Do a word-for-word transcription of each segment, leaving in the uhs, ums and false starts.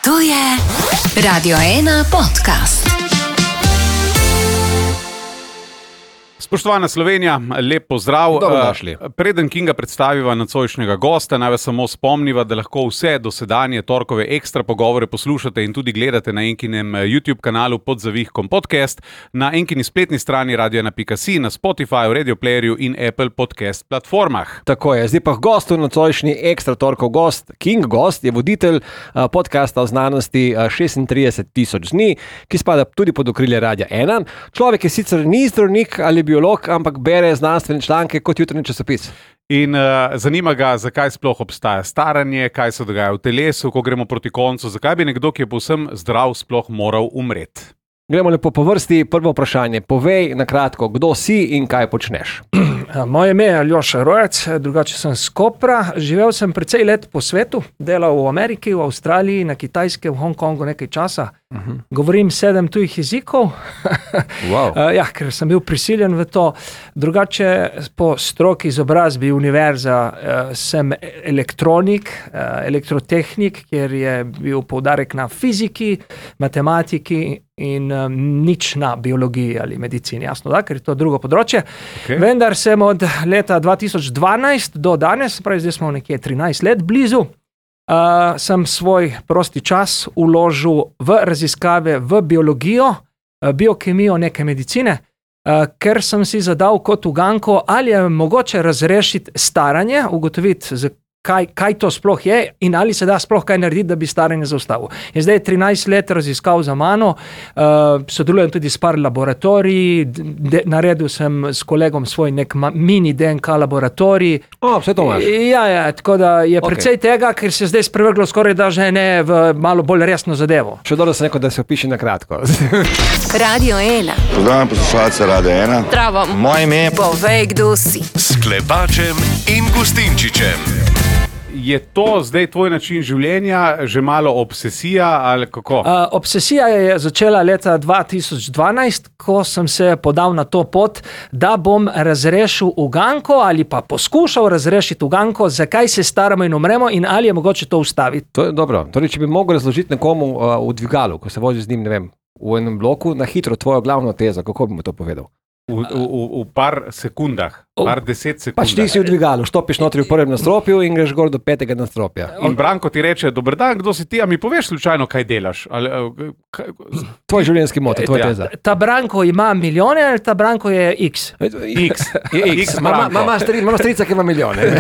To je Radio ena podcast. Spoštovana Slovenija, lep pozdrav. Dobrodošli. Preden Kinga predstaviva nocojšnjega gosta, naj vas samo spomniva, da lahko vse dosedanje torkove ekstra pogovore poslušate in tudi gledate na Enkinem YouTube kanalu pod zavihkom podcast, na Enkini spletni strani radio ena pika si, na Spotifyju, Radio Playerju in Apple podcast platformah. Tako je, zdaj pa gost v nocojšnji ekstra torkov gost, King gost, je voditelj podcasta o znanosti šestintrideset tisoč dni, ki spada tudi pod okrilje Radia ena. Človek je sicer ni zdravnik ali biolog, ampak bere znanstvene članke kot jutrnji časopis. In uh, zanima ga, zakaj sploh obstaja staranje, kaj se dogaja v telesu, ko gremo proti koncu, zakaj bi nekdo, ki je povsem zdrav, sploh moral umreti. Gremo lepo po vrsti. Prvo vprašanje. Povej na kratko, kdo si in kaj počneš. Moje ime je Aljoša Rojec, drugače sem s Kopra. Živel sem precej let po svetu, delal v Ameriki, v Avstraliji, na Kitajskem, v Hongkongu nekaj časa. Uh-huh. Govorim sedem tujih jezikov, wow. ja, ker sem bil prisiljen v to. Drugače po stroki izobrazbi univerza sem elektronik, elektrotehnik, kjer je bil poudarek na fiziki, matematiki in um, nič na biologiji ali medicini, jasno da, ker je to drugo področje. Okay. Vendar sem od leta dva tisoč dvanajst do danes, pravi zdaj smo nekje trinajst let blizu, uh, sem svoj prosti čas uložil v raziskave v biologijo, uh, biokemijo neke medicine, uh, ker sem si zadal kot uganko, ali je mogoče razrešiti staranje, ugotoviti z Kaj, kaj to sploh je in ali se da sploh kaj narediti, da bi staranje zaustavil. Je zdaj trinajst let raziskav za mano, uh, sodelujem tudi s par laboratoriji, de, naredil sem s kolegom svoj nek ma, mini D N K laboratorij. O, vse to imaš. Ja, ja, tako da je okay. Precej tega, ker se zdaj sprevrglo skoraj da že ne v malo bolj resno zadevo. Še dobro se neko, da se opiše na kratko. Radio ena. Pozdravljam poslušalce Radio ena. Zdravo. Moje ime je... Povej, kdo si. S Klepačem in Gustinčičem. Je to zdaj tvoj način življenja, že malo obsesija ali kako? Uh, obsesija je začela leta dva tisoč dvanajst, ko sem se podal na to pot, da bom razrešil uganko ali pa poskušal razrešiti uganko, zakaj se staramo in umremo in ali je mogoče to ustaviti. To je dobro. Torej, če bi mogel razložiti nekomu uh, v dvigalu, ko se vozi z njim, ne vem, v enem bloku, na hitro tvojo glavno tezo, kako bi mu to povedal? V, v, v par sekundah, par deset sekundah. Pač ti si v dvigalu, štopiš notri v prvem nastropju in greš gor do petega nastropja. In Branko ti reče, dober dan, kdo si ti, a mi poveš slučajno, kaj delaš? Ali, kaj... Tvoj življenjski moto, tvoj ja. teza. Ta Branko ima milijone ali ta Branko je X? X. Je X. Mama strica, ki ima milijone.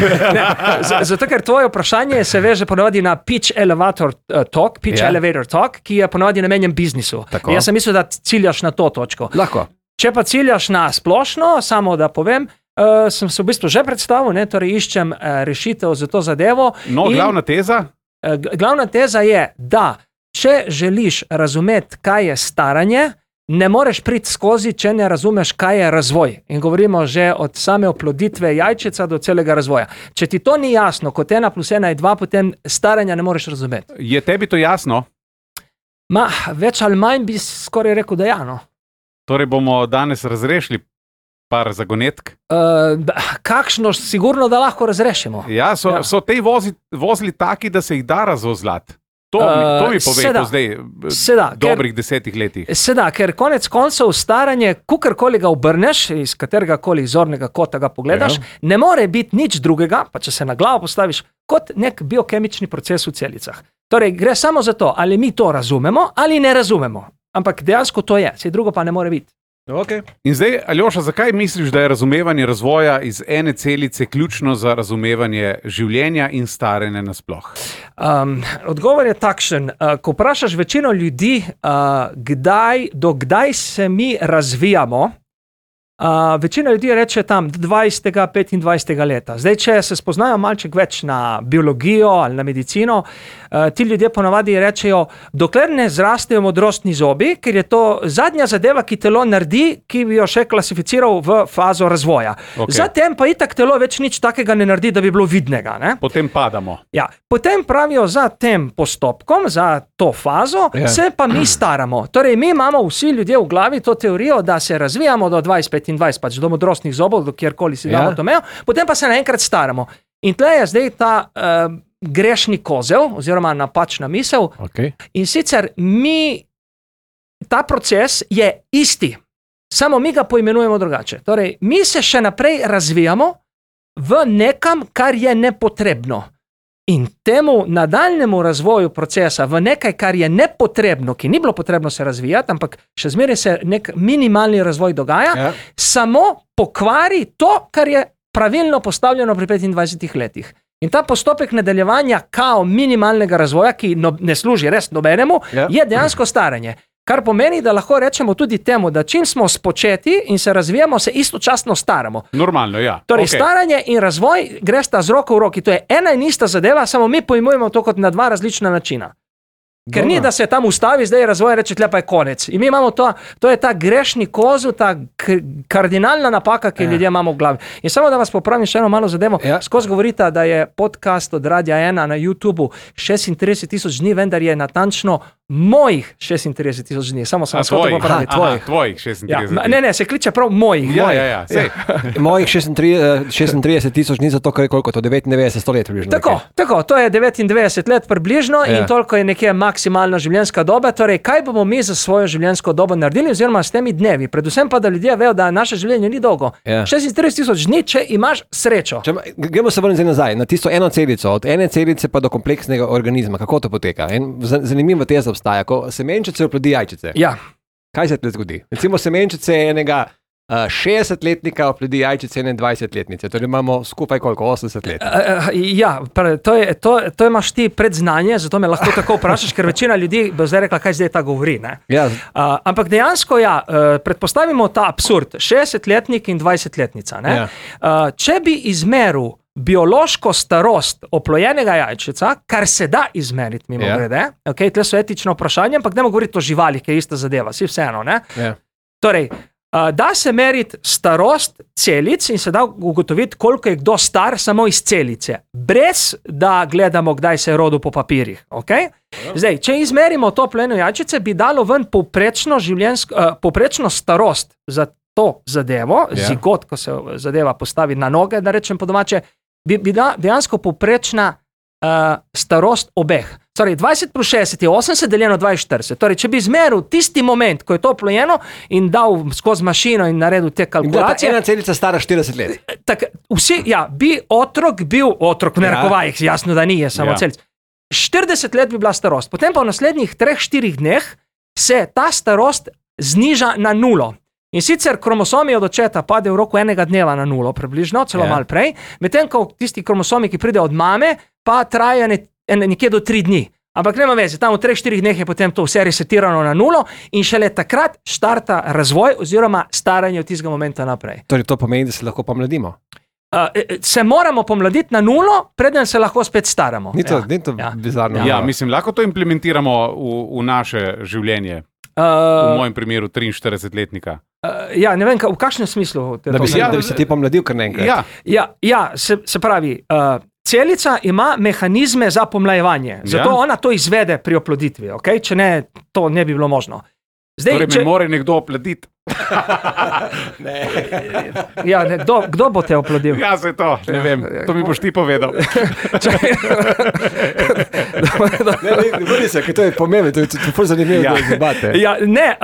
Zato, ker tvoje vprašanje se veže ponovadi na pitch elevator talk, pitch yeah. elevator talk, ki je ponovadi namenjen biznisu. Tako. Jaz sem mislil, da ciljaš na to točko. Lahko. Če pa ciljaš na splošno, samo da povem, uh, sem se v bistvu že predstavil, ne, torej iščem uh, rešitev za to zadevo. No, in, glavna teza? Uh, glavna teza je, da če želiš razumeti, kaj je staranje, ne moreš priti skozi, če ne razumeš, kaj je razvoj. In govorimo že od same oploditve jajčeca do celega razvoja. Če ti to ni jasno, kot ena plus ena je dva, potem staranja ne moreš razumeti. Je tebi to jasno? Ma, več ali manj bi skoraj rekel, da ja, no. Torej bomo danes razrešili par zagonetk? Uh, kakšno, sigurno, da lahko razrešimo. Ja, so, ja. so te vozi, vozili taki, da se jih da razvozlati. To, uh, to mi pove po zdaj seda, dobrih ker, desetih letih. Seda, ker konec koncev staranje, kukarkoli ga obrneš, iz katerega koli zornega kota ga pogledaš, ja. ne more biti nič drugega, pa če se na glavo postaviš, kot nek biokemični proces v celicah. Torej, gre samo za to, ali mi to razumemo ali ne razumemo. Ampak dejansko to je, vse drugo pa ne more biti. Okay. In zdaj, Aljoša, zakaj misliš, da je razumevanje razvoja iz ene celice ključno za razumevanje življenja in staranja nasploh? Um, odgovor je takšen. Uh, ko vprašaš večino ljudi, uh, kdaj, do kdaj se mi razvijamo, Uh, večina ljudi reče tam dvajsetega, petindvajsetega leta. Zdaj, če se spoznajo malček več na biologijo ali na medicino, uh, ti ljudje ponavadi rečejo, dokler ne zrastejo modrostni zobi, ker je to zadnja zadeva, ki telo naredi, ki bi jo še klasificiral v fazo razvoja. Okay. Zatem pa itak telo več nič takega ne naredi, da bi bilo vidnega. Ne? Potem padamo. Ja. Potem pravijo, za tem postopkom, za to fazo, yeah. se pa mi staramo. Torej, mi imamo vsi ljudje v glavi to teorijo, da se razvijamo do dvajset petindvajset, pač do modrostnih zobov, do kjerkoli si damo ja. to mejo, potem pa se naenkrat staramo. In tle je zdaj ta uh, grešni kozel oziroma napačna misel. Okay. In sicer mi, ta proces je isti, samo mi ga poimenujemo drugače. Torej, mi se še naprej razvijamo v nekam, kar je nepotrebno. In temu nadaljnemu razvoju procesa v nekaj, kar je nepotrebno, ki ni bilo potrebno se razvijati, ampak še zmeraj se nek minimalni razvoj dogaja, Ja. samo pokvari to, kar je pravilno postavljeno pri petindvajsetih letih. In ta postopek nadaljevanja kao minimalnega razvoja, ki no, ne služi res nobenemu, Ja. je dejansko staranje. Kar pomeni, da lahko rečemo tudi temu, da čim smo spočeti in se razvijamo, se istočasno staramo. Normalno, ja. Torej, Okej. staranje in razvoj gresta z roko v roki. To je ena in ista zadeva, samo mi pojmujemo to kot na dva različna načina. Ker Dobro. ni, da se tam ustavi, zdaj je razvoj, reče, tle pa je konec. In mi imamo to, to je ta grešni kozel, ta k- kardinalna napaka, ki Ja. ljudje imamo v glavi. In samo da vas popravim še eno malo zadevo, Ja. skozi govorite, da je podcast od Radia ena na YouTubu šestintrideset tisoč dni, vendar je natančno mojih šestintrideset tisoč dni. Samo sem A, vas hotel tvojih? popraviti. Aha, Tvojih. tvojih Ja, šestintrideset. ne, ne, se kliče prav mojih. Ja, mojih. ja, ja, sej. Mojih šestintrideset šestintrideset tisoč ni zato, ker je koliko to, devetindevetdeset, sto let približno. Tako, nekaj. tako, to je devetindevetdeset let približno Ja. in toliko je nekje maksimalna življenjska doba. Torej, kaj bomo mi za svojo življenjsko dobo naredili, oziroma s temi dnevi? Predvsem pa, da ljudje vejo, da naše življenje ni dolgo. Ja. šestintrideset tisoč dni, če imaš srečo. Če, gremo se vrniti nazaj na tisto eno celico, od ene celice pa do kompleksnega organizma. Kako to poteka? En za- zanimiva teza obstaja, ko semenčice oplodi jajčice. Ja, Kaj se tle zgodi? Recimo semenčice enega uh, šestdesetletnika oplodi jajčice ene dvajsetletnice, torej imamo skupaj koliko, osemdeset let. uh, ja pre, to, je, to, to imaš ti predznanje, zato me lahko tako vprašaš, ker večina ljudi bo zdaj rekla, kaj zdaj ta govori. Ne? Ja, Uh, ampak dejansko, ja, uh, predpostavimo ta absurd, šestdesetletnik in dvajsetletnica. Ne? Ja. Uh, če bi izmeril biološko starost oplojenega jajčica, kar se da izmeriti, mimo Ja. grede, okay, tle so etično vprašanje, ampak ne moramo govoriti o živalih, ki je ista zadeva, si vseeno. Ne? ja. Torej, uh, da se meriti starost celic in se da ugotoviti, koliko je kdo star samo iz celice, brez da gledamo, kdaj se je rodil po papirjih. Okay? Zdaj, če izmerimo to pleno jajčice, bi dalo ven povprečno, življenjsko, uh, povprečno starost za to zadevo, Ja. zigot, ko se zadeva postavi na noge, da rečem po domače, bi, bi da dejansko povprečna uh, starost obeh. Torej, dvajset plus šestdeset je osemdeset, deljeno dvainštirideset. Torej, če bi izmeril tisti moment, ko je to plojeno in dal skozi mašino in naredil te In bila ta kalkulacije, ena celica stara štirideset let. tak, vsi, ja, bi otrok bil, otrok v Ja. narekovajih, jasno, da ni, je samo Ja. ja. celic. štirideset let bi bila starost, potem pa v naslednjih treh, štirih dneh se ta starost zniža na nulo. In sicer kromosomi od očeta padejo v roku enega dneva na nulo, približno, celo Ja. malo prej, medtem ko tisti kromosomi, ki pridejo od mame, pa trajajo ne, ne, nekje do tri dni. Ampak nema veze, tam v treh, štirih dneh je potem to vse resetirano na nulo in šele takrat štarta razvoj oziroma staranje od tistega momenta naprej. Torej, to pomeni, da se lahko pomladimo. Uh, se moramo pomladiti na nulo, preden se lahko spet staramo. Ni to, ja. ni to Ja. bizarno. Ja, mislim, lahko to implementiramo v, v naše življenje. V Uh, mojem primeru triinštiridesetletnika. uh, ja, ne vem, ka, v kakšnem smislu te Da to bi, se, Ja, da bi se ti pomladil kar naenkrat. Ja, Ja, ja se, se pravi, uh, celica ima mehanizme za pomlajevanje, zato Ja. ona to izvede pri oploditvi, okay? Če ne, to ne bi bilo možno. Zdaj, torej če, me mora nekdo opladiti. ja, ne, kdo, kdo bo te oplodil? Ja, se to, ne vem, to mi boš ti povedal. Ne, ne, ne bodi se, ker to je pomembno, to je to je ful zanimivo, Ja. da debate. Ja, ne, uh,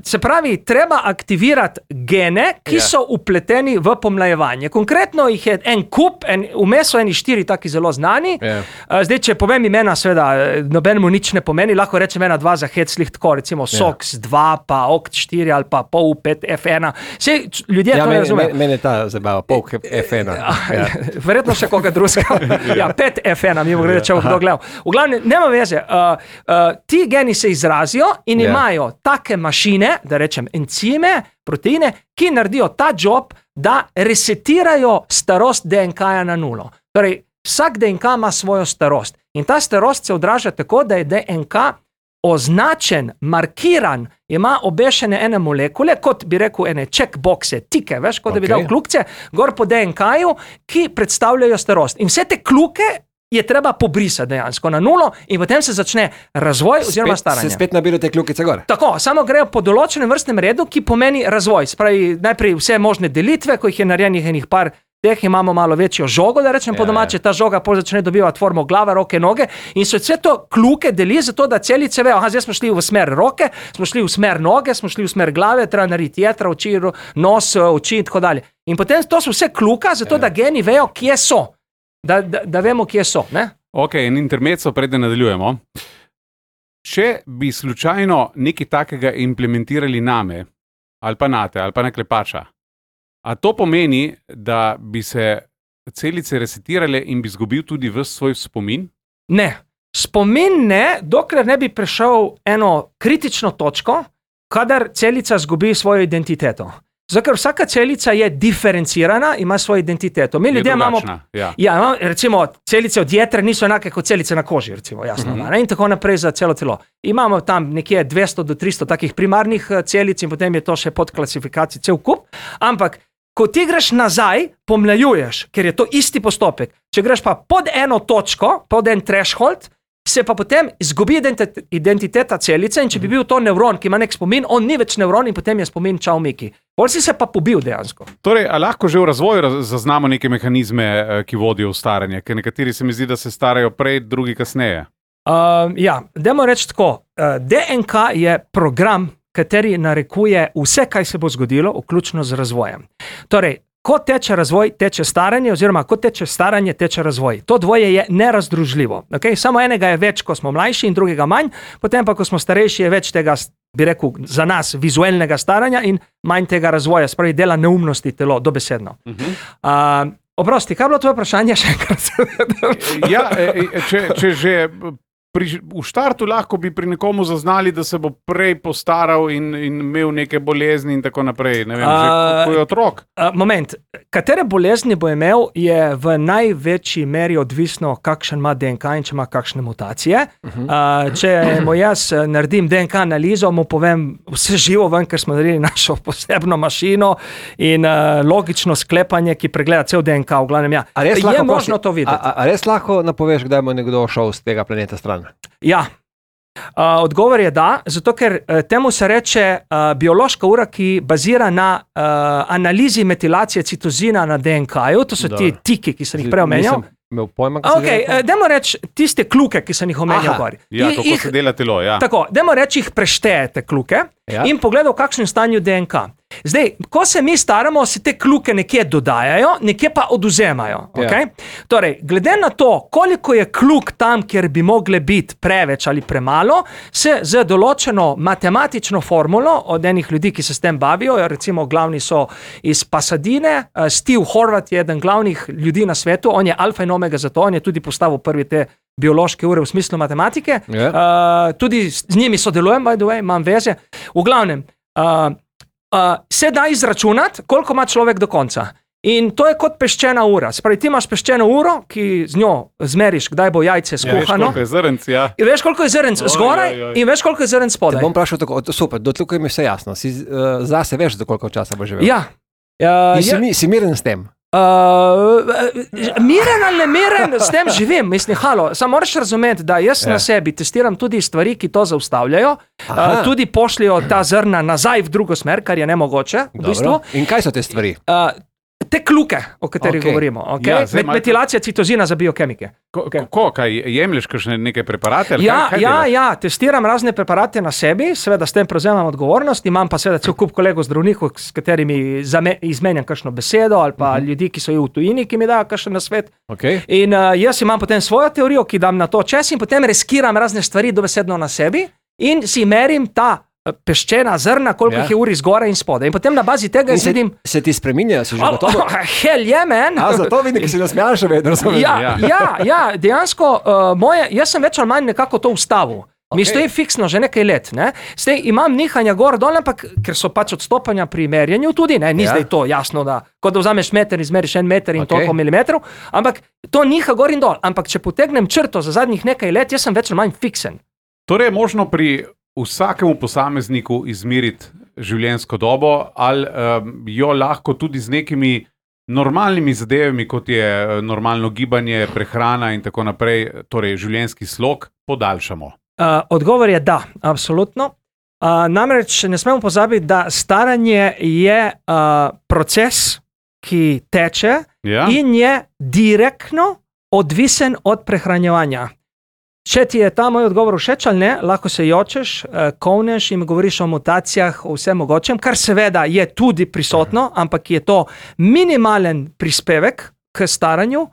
se pravi, treba aktivirati gene, ki Ja. so upleteni v pomlajevanje. Konkretno jih je en kup, en, vmes so eni štiri taki zelo znani. Ja. Uh, zdaj, če povem imena, seveda, nobenemu nič ne pomeni, lahko rečem ena, dva za heclih, tako recimo Ja. SOX dva, pa O C T štiri ali pa P O U pet F ena. Sej, č- ljudje Ja, to ne meni, razumejo. meni, meni je ta zabava, polk F ena. Ja. Verjetno še koga drugega. Ja, pet F ena, mi bomo reči, če bo kdo gledal. V glavnem, nema veze. Uh, uh, ti geni se izrazijo in Ja. imajo take mašine, da rečem encime, proteine, ki naredijo ta job, da resetirajo starost D N K-ja na nulo. Torej, vsak D N K ima svojo starost in ta starost se odraža tako, da je D N K označen, markiran, ima obešene ene molekule, kot bi rekel, ene checkboxe, tike, veš, kot da bi Okej. dal kljukice, gor po D N K-ju, ki predstavljajo starost. In vse te kljuke je treba pobrisati dejansko na nulo in potem se začne razvoj oziroma Spet, staranje. se spet nabirajo te kljukice gor. Tako, samo grejo po določenem vrstnem redu, ki pomeni razvoj. Spravi, najprej vse možne delitve, ko jih je narejenih enih par teh imamo malo večjo žogo, da rečem Ja, po domače, ta žoga pol začne dobivati formo glava, roke, noge in se vse to kluke deli zato, da celice vejo, aha, zdaj smo šli v smer roke, smo šli v smer noge, smo šli v smer glave, treba narediti jetra, oči, nos, oči in tako dalje. In potem to so vse kluka, zato da geni vejo, kje so, da, da, da vemo, kje so. Ne? Ok, in intermezzo, preden nadaljujemo. Če bi slučajno nekaj takega implementirali name, ali pa nate, ali pa na klepača, a to pomeni, da bi se celice resetirale in bi izgubil tudi ves svoj spomin? Ne. Spomin ne, dokler ne bi prišel eno kritično točko, kadar celica izgubi svojo identiteto. Zato, ker vsaka celica je diferencirana, ima svojo identiteto. Mi ljudje imamo, ja. Ja, recimo, celice od jetre niso enake kot celice na koži, recimo, jasno, uh-huh. In tako naprej za celo telo. Imamo tam nekje dvesto do tristo takih primarnih celic in potem je to še pod klasifikacijo cel kup, ampak ko ti greš nazaj, pomlajuješ, ker je to isti postopek. Če greš pa pod eno točko, pod en threshold, se pa potem izgubi identiteta celice in če bi bil to nevron, ki ima nek spomin, on ni več nevron in potem je spomin čau Miki. Pol si se pa pobil dejansko. Torej, a lahko že v razvoju raz- zaznamo neke mehanizme, ki vodijo v staranje? Ker nekateri se mi zdi, da se starajo prej, drugi kasneje. Uh, ja, dajmo reči tako. Uh, D N K je program, kateri narekuje vse, kaj se bo zgodilo, vključno z razvojem. Torej, ko teče razvoj, teče staranje, oziroma ko teče staranje, teče razvoj. To dvoje je nerazdružljivo. Okay? Samo enega je več, ko smo mlajši in drugega manj, potem pa, ko smo starejši, je več tega, bi rekel, za nas vizualnega staranja in manj tega razvoja, spravi dela neumnosti telo, dobesedno. Uh-huh. Uh, oprosti, kaj je bilo tvoje vprašanje še enkrat? Ja, če, če že pri, v štartu lahko bi pri nekomu zaznali, da se bo prej postaral in, in imel neke bolezni in tako naprej. Ne vem, že A, ko je otrok. Uh, moment, katere bolezni bo imel, je v največji meri odvisno, kakšen ima D N K in če ima kakšne mutacije. Uh-huh. Uh, če mu jaz naredim D N K analizo, mu povem vse živo ven, ker smo naredili našo posebno mašino in uh, logično sklepanje, ki pregleda cel D N K, v glavnem ja. A res Je lahko možno prosi- to videti. A, a, a res lahko napoveš, kdaj bo nekdo šel z tega planeta stran? Ja. Uh, odgovor je da, zato ker uh, temu se reče uh, biološka ura, ki bazira na uh, analizi metilacije citozina na D N K-ju, to so Dobro. ti tiki, ki sem jih prej omenjal. Nisem imel pojma, kaj Ok, uh, dajmo reči tiste kluke, ki sem jih omenjal Aha. gor. Ja, I- kako jih- se dela telo, ja. Tako, dajmo reči, jih preštejete kluke Ja. in pogledaj, v kakšnem stanju D N K. Zdaj, ko se mi staramo, se te kluke nekje dodajajo, nekje pa oduzemajo. Ja. Okay? Torej, glede na to, koliko je kluk tam, kjer bi mogle biti preveč ali premalo, se z določeno matematično formulo od enih ljudi, ki se s tem bavijo, recimo glavni so iz Pasadine, uh, Steve Horvat je eden glavnih ljudi na svetu, on je alfa in omega za to, on je tudi postavil prvi te biološke ure v smislu matematike, Ja. uh, tudi z z njimi sodelujem, by the way, imam veze. V glavnem, uh, uh, se da izračunati, koliko ima človek do konca. In to je kot peščena ura. Spravi, ti imaš peščeno uro, ki z njo zmeriš, kdaj bo jajce Ja, veš, skuhano. koliko je zrnc, ja. In veš, koliko je zrnc Oj, zgoraj oj, oj. in veš, koliko je zrnc Te spodaj. bom vprašal tako, o, super, do tukaj mi je vse jasno. Si uh, zase veš, za koliko časa bo živel. Ja. Uh, In si, ja, mi, si miren s tem. Uh, miren ali ne miren, s tem živim. Mislim, halo, samo moraš razumeti, da jaz Ja. na sebi testiram tudi stvari, ki to zaustavljajo, Aha. uh, tudi pošljajo ta zrna nazaj v drugo smer, kar je nemogoče. V Dobro. bistvu. In kaj so te stvari? Uh, te kluke, o katerih Okej. govorimo. Okay? Ja, Ja, zdaj Met, malo- metilacija citozina za biokemike. Ko, Ok. ko, kaj, jemlješ kakšne neke preparate? Ali Ja, kaj, kaj ja, delaš? ja, testiram razne preparate na sebi, seveda s tem prevzemam odgovornost, imam pa seveda cel kup kolegov zdravnikov, s katerimi zame, izmenjam kakšno besedo, ali pa uh-huh. ljudi, ki so v tujini, ki mi dajo kakšen nasvet. Okay. In uh, jaz imam potem svojo teorijo, ki dam na to čas in potem reskiram razne stvari dobesedno na sebi in si merim ta uh, peščena zrna, koliko Ja. jih je uri zgoraj in spodaj. In potem na bazi tega In se, sedim. se ti spreminjajo, si že Oh, gotovo? oh, hell yeah, man! A, zato vidim, ki si nasmejan še vedno. razumem. Ja, Ja. ja, ja, dejansko uh, moje, jaz sem več ali manj nekako to ustavil. Mi Okej. stoji fiksno že nekaj let. Ne? Zdaj imam nihanja gor dol, ampak ker so pač odstopanja pri merjenju tudi, ne? Ni Ja. ja. zdaj to jasno, da kot da vzameš meter, izmeriš en meter in Okej. toliko milimetrov, ampak to niha gor in dol. Ampak če potegnem črto za zadnjih nekaj let, jaz sem več ali manj fiksen. Torej je možno pri vsakemu posamezniku izmeriti življenjsko dobo, ali um, jo lahko tudi z nekimi normalnimi zadevami, kot je eh, normalno gibanje, prehrana in tako naprej, torej življenjski slog, podaljšamo. Uh, odgovor je da, absolutno. Uh, namreč ne smemo pozabiti, da staranje je uh, proces, ki teče Ja. in je direktno odvisen od prehranjevanja. Če ti je ta moj odgovor všeč ali ne, lahko se jočeš, kovneš in govoriš o mutacijah, o vsem mogočem, kar seveda je tudi prisotno, ampak je to minimalen prispevek k staranju,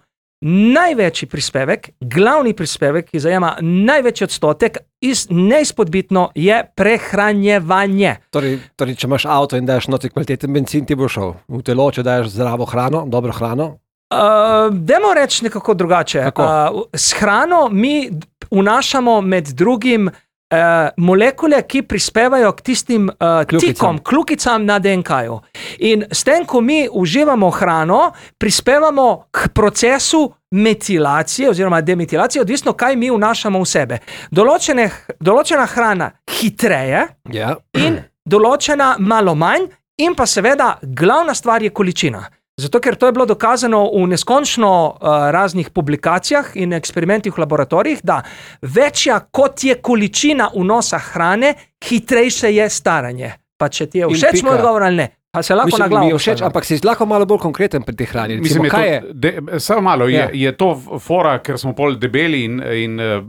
največji prispevek, glavni prispevek, ki zajema največji odstotek, iz, neizpodbitno je prehranjevanje. Torej, torej, če imaš avto in daš notri kvaliteten bencin, ti bo šel v telo, če daš zdravo hrano, dobro hrano. Uh, dajmo reči nekako drugače. Uh, s hrano mi vnašamo med drugim uh, molekule, ki prispevajo k tistim uh, tikom, klukicam na D N K-ju. In s tem, ko mi uživamo hrano, prispevamo k procesu metilacije oziroma demetilacije, odvisno, kaj mi vnašamo v sebe. Določene, določena hrana hitreje Ja. in določena malo manj in pa seveda glavna stvar je količina. Zato, ker to je bilo dokazano v neskončno uh, raznih publikacijah in eksperimentih v laboratorijih, da večja kot je količina vnosa hrane, hitrejše je staranje. Pa če ti je všeč moj odgovor ali ne, pa se lahko Mislim, na glavo mi je všeč, postavim. ampak si lahko malo bolj konkreten pri tej hrani. Recimo, Mislim, je kaj je? to, de, samo malo, Ja. je, je to fora, ker smo pol debeli in, in uh,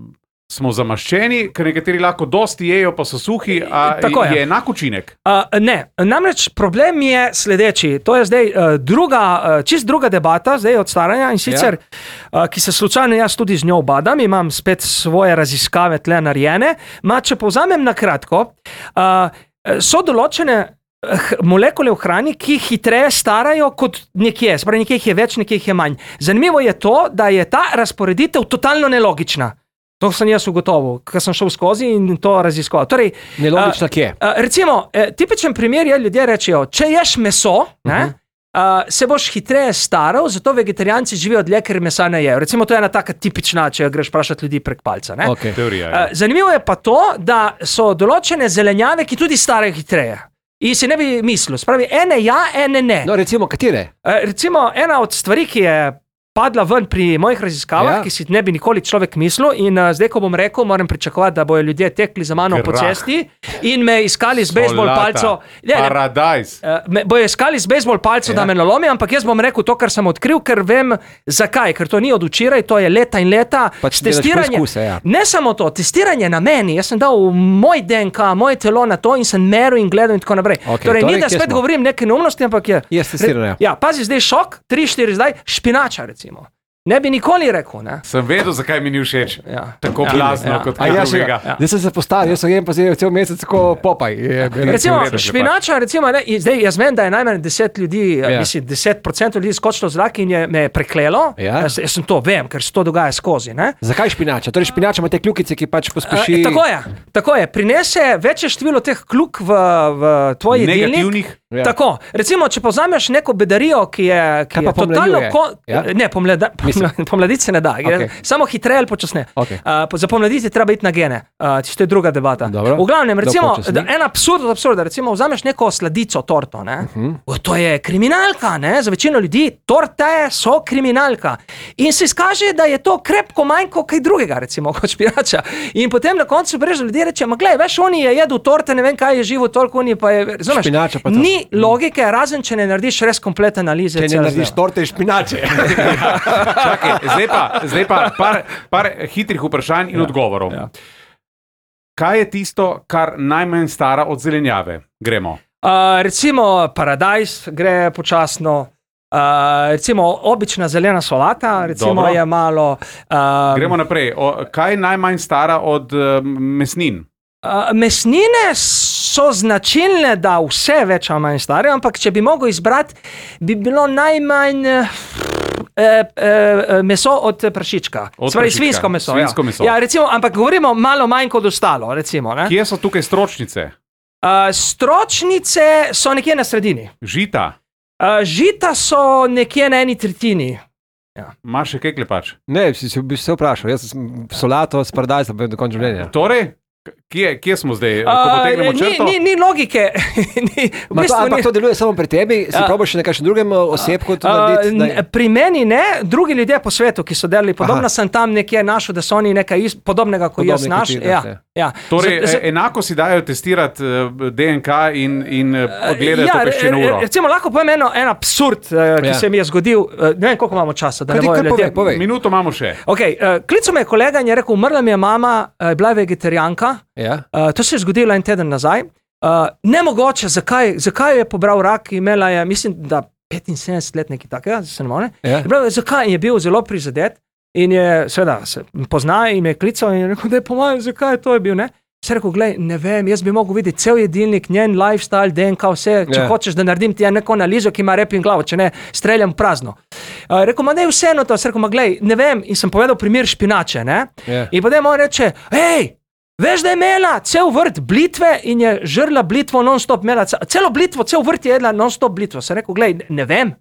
smo zamaščeni, ker nekateri lahko dosti jejo, pa so suhi, a Tako je. je enak učinek. Uh, ne, namreč problem je sledeči. To je zdaj uh, druga, uh, čist druga debata zdaj od staranja in sicer, ja. uh, ki se slučajno jaz tudi z njo obadam, imam spet svoje raziskave tle narejene. Ma, če povzamem na kratko, uh, so določene molekule v hrani, ki hitreje starajo kot nekje, spravi nekje jih je več, nekje jih je manj. Zanimivo je to, da je ta razporeditev totalno nelogična. To sem jaz ugotovil, ker sem šel skozi in to raziskoval. Torej, Nelogično uh, kje? uh, recimo, eh, tipičen primer je, ljudje rečejo, če ješ meso, ne, uh -huh. uh, se boš hitreje staral, zato vegetarijanci živijo dlje, ker mesa ne jejo. Recimo, to je ena taka tipična, če greš vprašati ljudi prek palca. Ne. Okay. Teorija. Uh, Ja. zanimivo je pa to, da so določene zelenjave, ki tudi starajo hitreje. In si ne bi mislil, spravi, ene ja, ene ne. No, recimo, katere? Uh, recimo, ena od stvari, ki je padla ven pri mojih raziskavah, Ja. ki si ne bi nikoli človek mislil, in uh, zdaj, ko bom rekel, moram pričakovati, da bojo ljudje tekli za mano po Krah. cesti in me iskali z bejzbol Solata. palco. Ne, ne, Paradajz. uh, me bojo iskali z bejzbol palco, Ja. da me nalomi, ampak jaz bom rekel to, kar sem odkril, ker vem zakaj, ker to ni od včeraj, to je leta in leta. Pač S delaš testiranjem- poizkuse, ja. Ne samo to, testiranje na meni, jaz sem dal v moj D N K, moje telo na to in sem meril in gledal in tako naprej. Okej, torej, torej, ni, da kje spet smo? govorim neke neumnosti, ampak je. Je testiranje. Ja, pazi, zdaj šok, tri, štiri zdaj, špinača recimo. Ne bi nikoli rekel, ne? Sem vedel, zakaj mi ni všeč. Ja. Tako Ja. glasno, Ja. kot A kaj jaz, drugega. ja. Zdaj sem se postavil, jaz sem jem pa zdaj cel mesec tako popaj. Je, Recimo, v redu, če špinača, recimo, ne, in zdaj jaz vem, da je najmanj deset ljudi, Ja. ja. mislim, deset procentov ljudi skočilo v zrak in je me preklelo. Ja. Jaz, jaz sem to vem, ker se to dogaja skozi, ne? Zakaj špinača? Torej špinača ima te kljukice, ki pač pospeši... E, tako je, tako je. Prinese večje število teh kljuk v, v tvoj jedilnik. Negativnih. Ja. Tako, recimo, če povzameš neko bedarijo, ki je, ki Kaj je pa totalno pomlađuje? ko, Ja? ne, pomlada, Mislim. pomladiti se ne da, gre Okej. samo hitreje ali počasneje. Okej. Uh, za pomladiti je treba iti na gene, uh, to je druga debata. Dobro. V glavnem, recimo, počasni. da, en absurd od absurda, recimo, vzameš neko sladico, torto, ne? Uh Mhm. -huh. To je kriminalka, ne? Za večino ljudi torte so kriminalka. In se izkaže, da je to krepko manj kot kaj drugega, recimo, kot špinača. In potem na koncu brež ljudje reče, ma glej, veš, oni je jedel torte, ne vem kaj je živo, toliko oni pa je, razumeš? Špinača pa to. Ni logike, razen če ne narediš res kompletne analize. Če ne cel narediš zdaj. torte iz špinače. Čakaj, zdaj pa, zdaj pa par, par hitrih vprašanj in ja. odgovorov. Ja. Kaj je tisto, kar najmanj stara od zelenjave? Gremo. Uh, recimo paradajz gre počasno, uh, recimo obična zelena solata, recimo Dobro. je malo. Uh, Gremo naprej. O, kaj je najmanj stara od uh, mesnin? Uh, mesnine so značilne, da vse več ali manj stare, ampak če bi mogel izbrati, bi bilo najmanj uh, uh, meso od prašička. Od Spravi, prašička. svinjsko meso. Svinjsko ja. meso. Ja, recimo, ampak govorimo malo manj kot ostalo. Recimo, ne? Kje so tukaj stročnice? uh, stročnice so nekje na sredini. Žita? Uh, žita so nekje na eni tretjini. Imaš še kaj klepač? Ne, si, si v bistvu se vprašal. Jaz sem solato s paradajzom do konca življenja. Torej, Kje, kje smo zdaj? Ko potegnemo črto? Ni, ni, ni logike. ni, v Ma to, bistvu ampak ni- to deluje samo pri tebi, si A- probaš še na kakšnem drugem osebku to Uh, narediti? n- da- pri meni ne, drugi ljudje po svetu, ki so delali podobno, Aha. sem tam nekje našel, da so oni nekaj is, podobnega kot Podobni jaz kot naš. ti, Ja, da, ja. Torej, Z- z- e- enako si dajo testirati eh, D N K in, in eh, odgledajo ja, to peščeno re- uro. Recimo, lahko povem eno, en absurd, uh, ki Ja. se mi je zgodil. Uh, ne vem, koliko imamo časa, da Kaj ne ti bojo kar povej, ljudje. povej. Minuto imamo še. Okay, uh, klical me je kolega in je rekel, umrla mi je mama, uh, bila je vegetarijanka. Ja. Uh, to se je zgodilo en teden nazaj. Uh, nemogoče, zakaj, zakaj je pobral rak, imela je, mislim, da petinsedemdeset let nekaj takega, se ne more. Ja. Je prav, zakaj je bil zelo prizadet in je, seveda, se pozna in me je klical in je rekel, da je po mojem, zakaj je to je bil, ne? Se rekel, glej, ne vem, jaz bi mogel videti cel jedilnik, njen lifestyle, D N K, vse, če Ja. hočeš, da naredim ti neko analizo, ki ima rep in glavo, če ne, streljam v prazno. Uh, rekel, ma ne, vseeno to, se rekel, ma glej, ne vem, in sem povedal primer špinače, ne? Ja. In potem on reče, hej, veš, da je imela cel vrt blitve in je žrla blitvo non-stop, imela ce- celo blitvo, cel vrt je jedla non-stop blitvo. Sem rekel, glej, ne vem,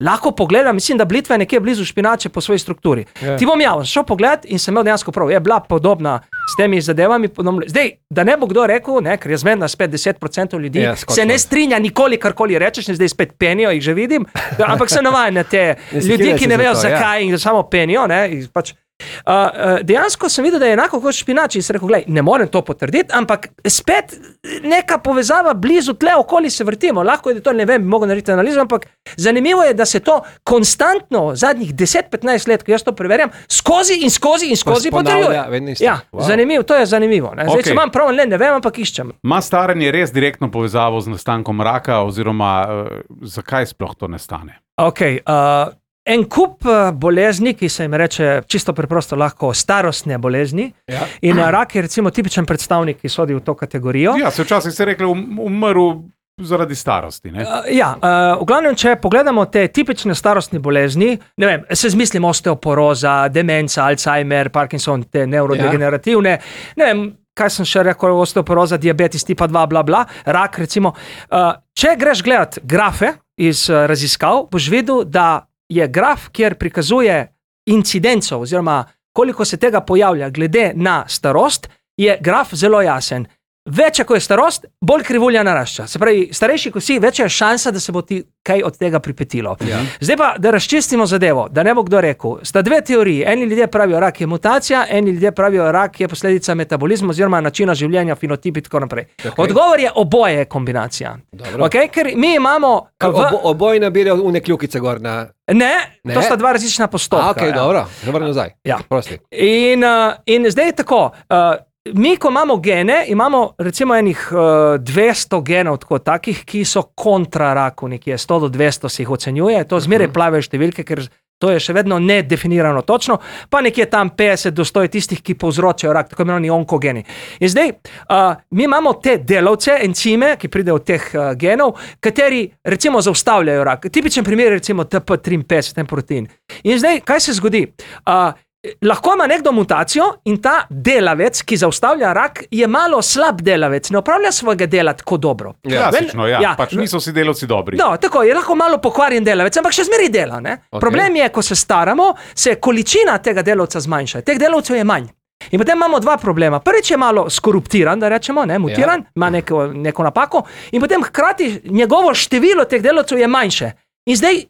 lahko pogledam, mislim, da blitva je nekje blizu špinače po svoji strukturi. Ja. Ti bom ja, šel pogled in sem imel dejansko prav, je bila podobna s temi zadevami. Podobno. Zdaj, da ne bo kdo rekel, ne, ker je zmedna spet deset procentov ljudi, Ja, skočno. se ne strinja nikoli, karkoli rečeš, in zdaj spet penijo, jih že vidim, ampak sem navajen na te Ne ljudi, sekiraj ki se ne za vejo to, ja. zakaj in samo penijo, ne, in pač. Uh, uh, dejansko sem videl, da je enako kot špinač in sem rekel, glej, ne morem to potrditi, ampak spet neka povezava blizu tle, okoli se vrtimo. Lahko je, da to ne vem, bi mogel narediti analizo, ampak zanimivo je, da se to konstantno zadnjih deset petnajst let, ko jaz to preverjam, skozi in skozi in skozi ponavlja, potrjuje. vedno isto. Ja, Wow. zanimivo, to je zanimivo. Ne? Zdaj, Okej. če imam prav, ne, ne vem, ampak iščem. Ma staranje res direktno povezavo z nastankom raka, oziroma uh, zakaj sploh to ne stane? Okay, uh, en kup uh, bolezni, ki se jim reče čisto preprosto lahko starostne bolezni, Ja. in uh, rak je recimo tipičen predstavnik, ki sodi v to kategorijo. Ja, se včasih se je reklo, um, umrl zaradi starosti. Ne? Uh, ja, uh, v glavnem, če pogledamo te tipične starostne bolezni, ne vem, se zmislim osteoporoza, demenca, Alzheimer, Parkinson, te neurodegenerativne, ne vem, kaj sem še rekel, osteoporoza, diabetes tipa dva, bla, bla, rak recimo. Uh, če greš gledat grafe iz uh, raziskav, boš videl, da je graf, kjer prikazuje incidenco oziroma koliko se tega pojavlja glede na starost, je graf zelo jasen. Večja, ko je starost, bolj krivulja narašča. Se pravi, starejši, ko si, večja je šansa, da se bo ti kaj od tega pripetilo. Ja. Zdaj pa, da razčistimo zadevo, da ne bo kdo rekel. Sta dve teoriji. Eni ljudje pravijo, rak je mutacija, eni ljudje pravijo, rak je posledica metabolizma oziroma načina življenja, fenotip in tako naprej. Okay. Odgovor je oboje je kombinacija. Dobro. Okay? Ker mi imamo... v- Obo, oboji nabirajo une kljukice gor na... Ne, Ne? to sta dva različna postopka. A, ok, ja. dobro, dobro nazaj. Ja. Prosti. In, uh, in zdaj je tako. Uh, Mi, ko imamo gene, imamo recimo enih uh, dvesto genov, tako, takih, ki so kontra raku, nekje sto do dvesto se jih ocenjuje, to zmeraj plave številke, ker to je še vedno nedefinirano točno, pa nekje tam petdeset do sto je tistih, ki povzročajo rak, tako imenovani onkogeni. In zdaj, uh, mi imamo te delavce, encime, ki pridejo od teh uh, genov, kateri recimo zaustavljajo rak. Tipičen primer je recimo T P triinpetdeset, ten protein. In zdaj, kaj se zgodi? Uh, Lahko ima nekdo mutacijo in ta delavec, ki zaustavlja rak, je malo slab delavec, ne opravlja svojega dela tako dobro. Klasično, ja, ja. pač niso vsi delavci dobri. No, tako je lahko malo pokvarjen delavec, ampak še zmeraj dela. Okay. Problem je, ko se staramo, se količina tega delavca zmanjša. Teh delavcev je manj. In potem imamo dva problema. Prvič je malo skoruptiran, da rečemo, ne, mutiran, ima neko, neko napako, in potem hkrati njegovo število teh delavcev je manjše. In zdaj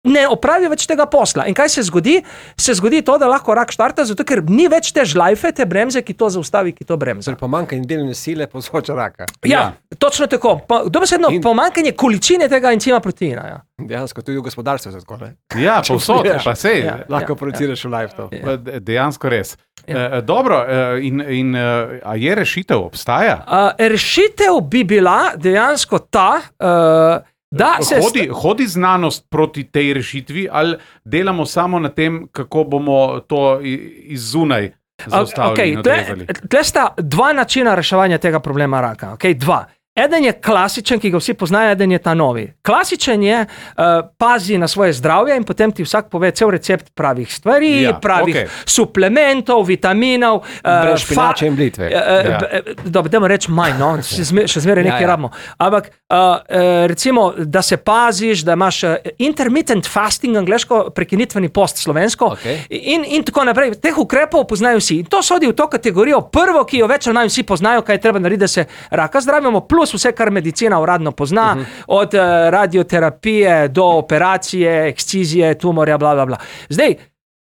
ne opravi več tega posla. In kaj se zgodi? Se zgodi to, da lahko rak štarta, zato ker ni več te žlajfe, te bremze, ki to zaustavi, ki to bremza. Torej, pomanjkanje delovne sile povzroča raka. Ja, točno tako. Pa, dobesedno In- pomanjkanje količine tega encima proteina. Ja. Dejansko tudi v gospodarstvu se tako, ne? Ja, povsod, Ja. pa sej. Ja. Lahko produciraš v live to. Pa de- Dejansko res. Ja. E, dobro, e, in, in e, a je rešitev, obstaja? Uh, rešitev bi bila dejansko ta, uh, da se... Hodi, hodi znanost proti tej rešitvi, ali delamo samo na tem, kako bomo to i- iz zunaj zaustavili Okay, in tle, odrezali? tle sta dva načina reševanja tega problema raka. Okay, dva. eden je klasičen, ki ga vsi poznajo, eden je ta novi. Klasičen je, uh, pazi na svoje zdravje in potem ti vsak pove cel recept pravih stvari, Ja, pravih okej. suplementov, vitaminov. Uh, Brez špinače in blitve. Uh, Ja. Dobro, dajmo reči manj, no, še, zme, še zmeraj nekaj Ja, ja. rabimo. Ampak uh, uh, recimo, da se paziš, da imaš uh, intermittent fasting, angleško, prekinitveni post slovensko Okej. in, in tako naprej. Teh ukrepov poznajo vsi. In to sodi v to kategorijo prvo, ki jo več ali manj vsi poznajo, kaj je treba narediti, da se raka zdravimo, plus vse, kar medicina uradno pozna, uh-huh. od uh, radioterapije do operacije, ekscizije, tumorja, bla, bla, bla. Zdaj,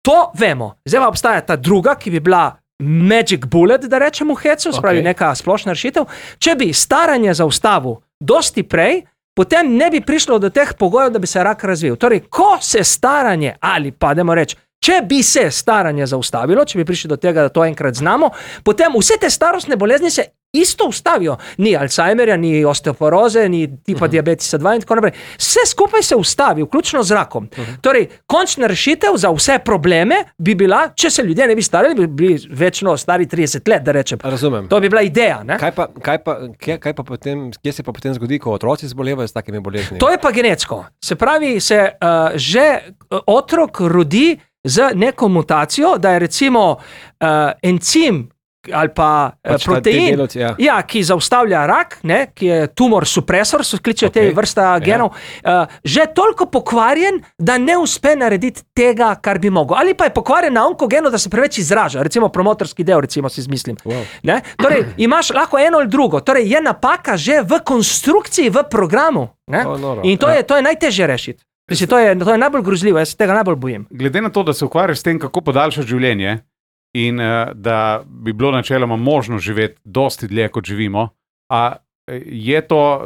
to vemo. Zdaj pa obstaja ta druga, ki bi bila magic bullet, da rečemo v hecu, spravi Okej. neka splošna rešitev. Če bi staranje zaustavil dosti prej, potem ne bi prišlo do teh pogojev, da bi se rak razvil. Torej, ko se staranje, ali pa, dajmo reči, če bi se staranje zaustavilo, če bi prišli do tega, da to enkrat znamo, potem vse te starostne bolezni se isto ustavijo. Ni Alzheimerja, ni osteoporoze, ni tipa uh-huh. diabetesa dva in tako naprej. Vse skupaj se ustavi, vključno z rakom. Uh-huh. Torej, končna rešitev za vse probleme bi bila, če se ljudje ne bi starali, bi bili večno stari trideset let, da rečem. Razumem. To bi bila ideja, ne? Kaj pa, kaj pa, kje, kaj pa potem, kje se pa potem zgodi, ko otroci zbolevajo s takimi boleznimi? To je pa genetsko. Se pravi, se uh, že uh, otrok rodi z neko mutacijo, da je recimo uh, encim ali pa Pač ta- ti protein, delavci, ja. ja, ki zaustavlja rak, ne, ki je tumor supresor, so kličejo okay. Okej. te vrsta genov, uh, že toliko pokvarjen, da ne uspe narediti tega, kar bi mogel. Ali pa je pokvarjen na onkogenu, da se preveč izraža, recimo promotorski del, recimo si izmislim. Wow. Ne? Torej, imaš lahko eno ali drugo, torej je napaka že v konstrukciji, v programu. Ne? O, noro. In to Ja. je, to je najtežje rešiti. Mislim, to, je, to je najbolj grozljivo, jaz se tega najbolj bojim. Glede na to, da se ukvarjaš s tem, kako podaljšati življenje in uh, da bi bilo načeloma možno živeti dosti dlje, kot živimo, a je to uh,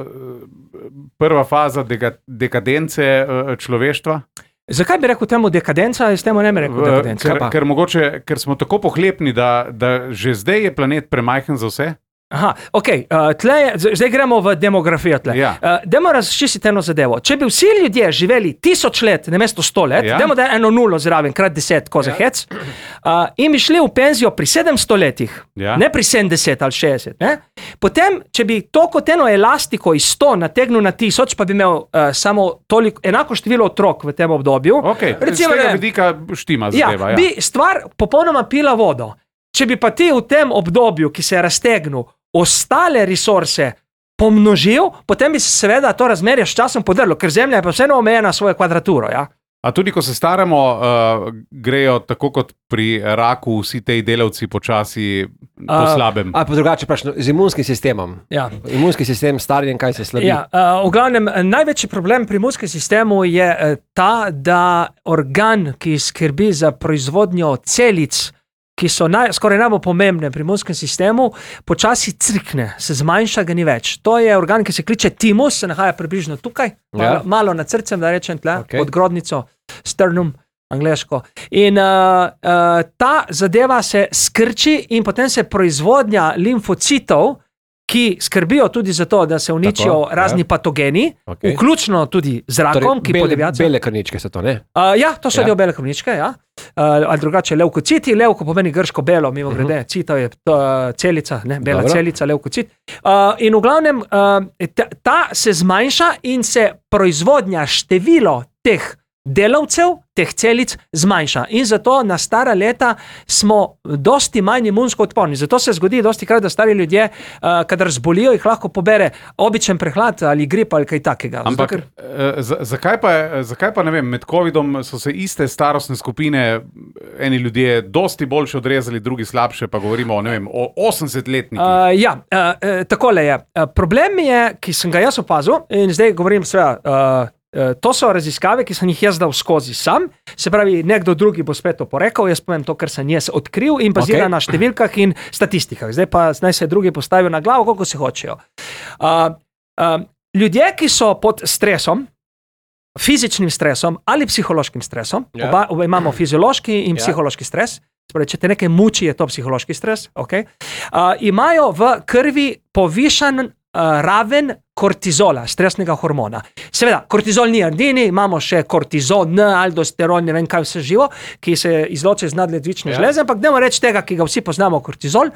prva faza dega, dekadence uh, človeštva? Zakaj bi rekel temu dekadenca, jaz temu ne bi rekel dekadenca? Ker, ker, mogoče, ker smo tako pohlepni, da, da že zdaj je planet premajhen za vse? Aha, ok, uh, tle je, z- zdaj gremo v demografijo tle. Ja. Uh, dajmo razčistiti eno zadevo. Če bi vsi ljudje živeli tisoč let, namesto sto let, Ja. dajmo da je eno nulo zraven, krat deset, ko za hec, uh, in bi šli v penzijo pri sedemsto letih, Ja. ne pri sedemdeset ali šestdeset, ne? Potem, če bi to kot eno elastiko iz sto nategnil na tisoč, pa bi imel uh, samo toliko, enako število otrok v tem obdobju. Okay. Recimo, Z tega ne vem, vidika štima Ja, zadeva. Ja, bi stvar popolnoma pila vodo. Če bi pa ti v tem obdobju, ki se je raztegnil, ostale resurse pomnožil, potem bi se seveda to razmerje s časom podrlo, ker Zemlja je pa vseeno omejena na svojo kvadraturo. Ja? A tudi, ko se staramo, uh, grejo tako kot pri raku vsi ti delavci počasi po A, slabem. Ali pa drugače, pač no, z imunskim sistemom. Ja. Imunski sistem starjen, kaj se slabi. Ja, uh, v glavnem, eh, največji problem pri imunskem sistemu je uh, ta, da organ, ki skrbi za proizvodnjo celic, ki so naj, skoraj najbolj pomembne pri imunskem sistemu, počasi crkne, se zmanjša, ga ni več. To je organ, ki se kliče timus, se nahaja približno tukaj, malo, Ja. malo nad srcem, da rečem tle, Okej. pod grodnico, sternum, angleško. In uh, uh, ta zadeva se skrči in potem se proizvodnja limfocitov, ki skrbijo tudi za to, da se uničijo Tako, ja. razni patogeni, Okej. vključno tudi z rakom, Torej, ki bele, podivjajo. bele krničke so to, ne? Uh, ja, to so Ja. del bele krvničke, ja. Uh, ali drugače levkociti, levko pomeni grško belo, mimo grede, uh-huh. cita je to, uh, celica, ne, bela Dobro. celica, levkocit. Uh, in v glavnem, uh, ta, ta se zmanjša in se proizvodnja število teh delavcev, teh celic zmanjša. In zato na stara leta smo dosti manj imunsko odporni. Zato se zgodi dosti krat, da stari ljudje, uh, kadar zbolijo, jih lahko pobere običen prehlad ali grip ali kaj takega. Ampak Zato, ker, eh, za- zakaj pa, zakaj pa ne vem, med covidom so se iste starostne skupine, eni ljudje dosti boljše odrezali, drugi slabše, pa govorimo o, ne vem, o osemdesetletnikih. Uh, ja, uh, uh, takole je. Uh, problem je, ki sem ga jaz opazil, in zdaj govorim seveda, uh, uh, to so raziskave, ki sem jih jaz dal skozi sam, se pravi, nekdo drugi bo spet oporekal, jaz povem to, kar sem jaz odkril in bazira Okej. na številkah in statistikah. Zdaj pa naj se drugi postavijo na glavo, koliko se hočejo. Uh, uh, ljudje, ki so pod stresom, fizičnim stresom ali psihološkim stresom, Ja. oba, oba imamo fiziološki in Ja. psihološki stres, Spravi, če te nekaj muči, je to psihološki stres, okay? uh, imajo v krvi povišan uh, raven kortizola, stresnega hormona. Seveda, kortizol ni edini, imamo še kortizon, aldosteron, ne vem kaj vse živo, ki se izloči iz nadledvične ja. žleze, ampak dajmo reči tega, ki ga vsi poznamo, kortizol.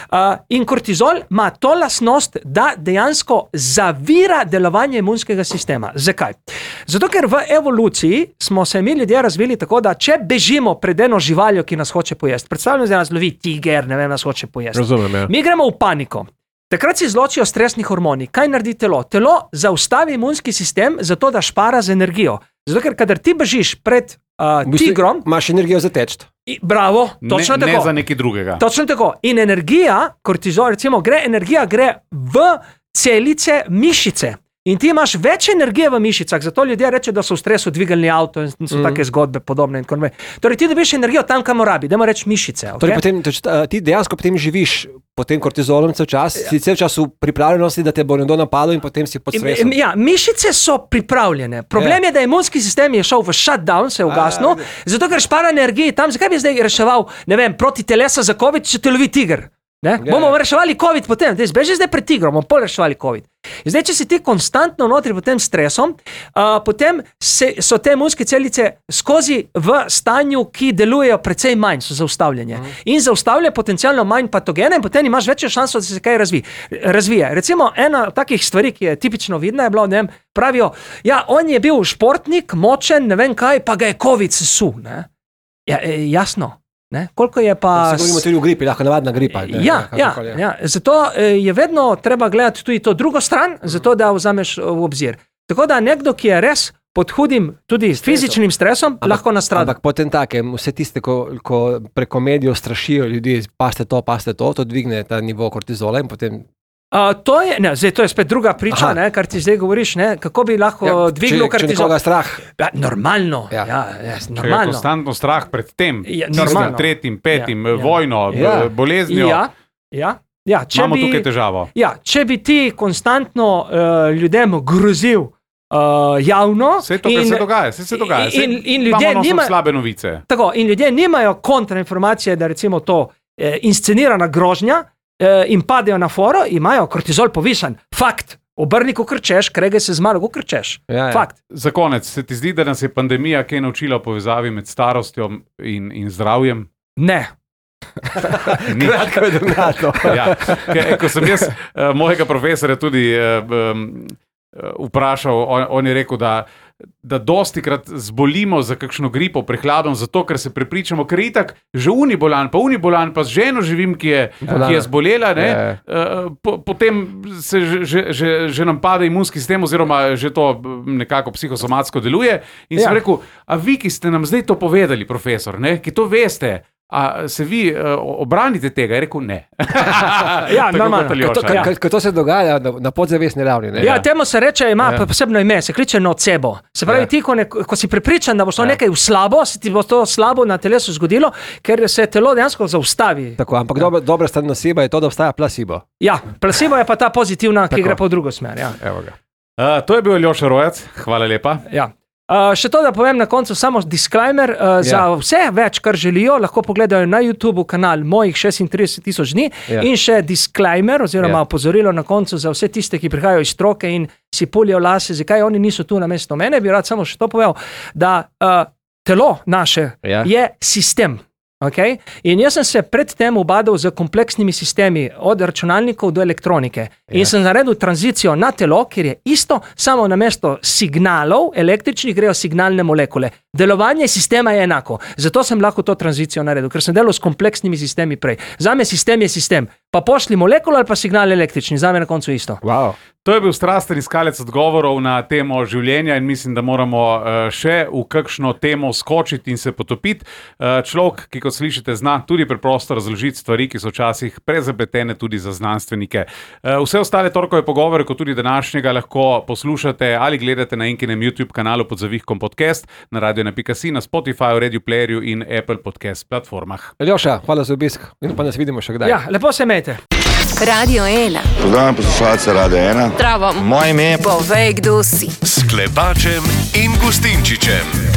Uh, in kortizol ima to lastnost, da dejansko zavira delovanje imunskega sistema. Zakaj? Zato, ker v evoluciji smo se mi ljudje razvili tako, da če bežimo pred eno živaljo, ki nas hoče pojesti, predstavljamo, da nas lovi tiger, ne vem, nas hoče pojesti. Razumem, ja. Mi gremo v paniko. Takrat se izločijo stresni hormoni. Kaj naredi telo? Telo zaustavi imunski sistem zato, da špara z energijo. Zato, ker kadar ti bežiš pred uh, tigrom... Imaš energijo za teč. Bravo, točno ne, tako. Ne za nekaj drugega. Točno tako. In energija, kortizol, recimo, gre, energija gre v celice mišice. In ti imaš več energije v mišicah, zato ljudje reče, da so v stresu dvigalni avto in so mm. take zgodbe podobne. In torej ti dobiš energijo tam, kam rabi, dajmo reči mišice. Okay? Torej, potem, toč, ti dejansko potem živiš pod tem kortizolom cel čas, ja. si cel čas v pripravljenosti, da te bo nekdo napadel in potem si pod stresom. Ja, mišice so pripravljene. Problem ja. je, da imunski sistem je šel v shutdown, se je ugasnil, zato ker špara energije tam. Zakaj bi zdaj reševal, ne vem, proti telesa za COVID, če te lovi tiger? Ne? Ja, bomo ja. reševali COVID potem, zdaj beži zdaj pred tigrom, bomo pol reševali COVID. In zdaj, če si ti konstantno notri pod tem stresom, uh, potem se, so te imunske celice skozi v stanju, ki delujejo precej manj, so zaustavljene. Uh-huh. In zaustavlja potencialno manj patogene in potem imaš večjo šanso, da se kaj razvi, razvije. Recimo, ena takih stvari, ki je tipično vidna, je bilo, ne vem, pravijo, ja, on je bil športnik, močen, ne vem kaj, pa ga je COVID sesul. Ne? Ja, jasno. Ne? Koliko je pa... Se govorimo tudi o gripi, lahko navadna gripa. Ne? Ja, ja, ja, zato je vedno treba gledati tudi to drugo stran, zato da vzameš v obzir. Tako da nekdo, ki je res pod hudim, tudi s fizičnim stresom, ampak, lahko nastrada. Ampak potem takem, vse tiste, ko, ko preko medijev strašijo ljudi, paste to, paste to, to dvigne ta nivo kortizola in potem... Uh, to, je, ne, zdaj, to je spet druga priča, ne, kar ti zdaj govoriš, ne, kako bi lahko ja, dvignil kortizol. Če nekoga strah. Ja, normalno. Ja. Ja, ja, normalno. Če je konstantno strah pred tem, ja, tistim, tretjim, petim, ja, vojno, ja. boleznijo. Ja, ja, ja, če imamo bi, tukaj težavo. Ja, če bi ti konstantno uh, ljudem grozil uh, javno... Vse to, kar se dogaja, vse se dogaja. In, in ljudje nimajo slabe novice. Tako, in ljudje nimajo kontrainformacije, da recimo to eh, inscenirana grožnja, in padejo na foro, imajo kortizol povišan. Fakt. Obrni, ko krčeš, krege se zmalo, ko krčeš. Ja, ja. Fakt. Za konec, se ti zdi, da nas je pandemija kaj naučila o povezavi med starostjo in, in zdravjem? Ne. Kratko je drnato. Ja. Ko sem jaz uh, mojega profesora tudi uh, um, vprašal, on, on je rekel, da da dostikrat zbolimo za kakšno gripo, prehladom, zato, ker se prepričamo, ker je itak že unibolan, pa unibolan, pa z ženo živim, ki je, ki je zbolela, ne, uh, po, potem se že, že, že, že nam pade imunski sistem, oziroma že to nekako psihosomatsko deluje. In ja. sem rekel, a vi, ki ste nam zdaj to povedali, profesor, ne, ki to veste, a se vi uh, obranite tega? Je rekel, ne. Ja, normalno. Ko to se dogaja na, na podzavestni ravni. Ne? Ja, temu se reče, ima ja. posebno ime, se kliče nocebo. Se pravi, ja. ti, ko, ne, ko si prepričan, da bo šlo ja. nekaj v slabo, se ti bo to slabo na telesu zgodilo, ker se telo dejansko zaustavi. Tako, ampak ja. dobra, dobra stran noceba je to, da obstaja placebo. Ja, placebo je pa ta pozitivna, ki Tako. gre pa v drugo smer. Ja. Evo ga. Uh, to je bil Aljoša Rojec, hvala lepa. Ja. Uh, še to, da povem na koncu samo disclaimer, uh, yeah. za vse več, kar želijo, lahko pogledajo na YouTube kanal mojih šestintrideset tisoč dni yeah. in še disclaimer oziroma yeah. opozorilo na koncu za vse tiste, ki prihajajo iz stroke in si pulijo lase, zakaj oni niso tu namesto mene, bi rad samo še to povedal, da uh, telo naše yeah. je sistem. Okay? In jaz sem se predtem ubadal z kompleksnimi sistemi, od računalnikov do elektronike. In yeah. sem naredil tranzicijo na telo, kjer je isto, samo namesto signalov električnih grejo signalne molekule. Delovanje sistema je enako. Zato sem lahko to tranzicijo naredil, ker sem delal s kompleksnimi sistemi prej. Zame sistem je sistem. Pa pošli molekul ali pa signal električni. Zame na koncu isto. Wow. To je bil strasten iskalec odgovorov na temo življenja in mislim, da moramo še v kakšno temo skočiti in se potopiti. Človek, ki kot slišite, zna tudi preprosto razložiti stvari, ki so včasih prezapletene tudi za znanstvenike. Vse ostale torkove pogovore, kot tudi današnjega, lahko poslušate ali gledate na Enkinem YouTube kanalu pod zavihkom podcast, na radio ena pika si, na Spotify, Radio Playerju in Apple Podcast platformah. Aljoša, hvala za obisk in pa nas vidimo še kdaj. Ja, lepo se imejte. Radio ena. Pozdravljam poslušalce Radio ena. Zdravo. Moje ime je... Povej, kdo si. S Klepačem in Gustinčičem.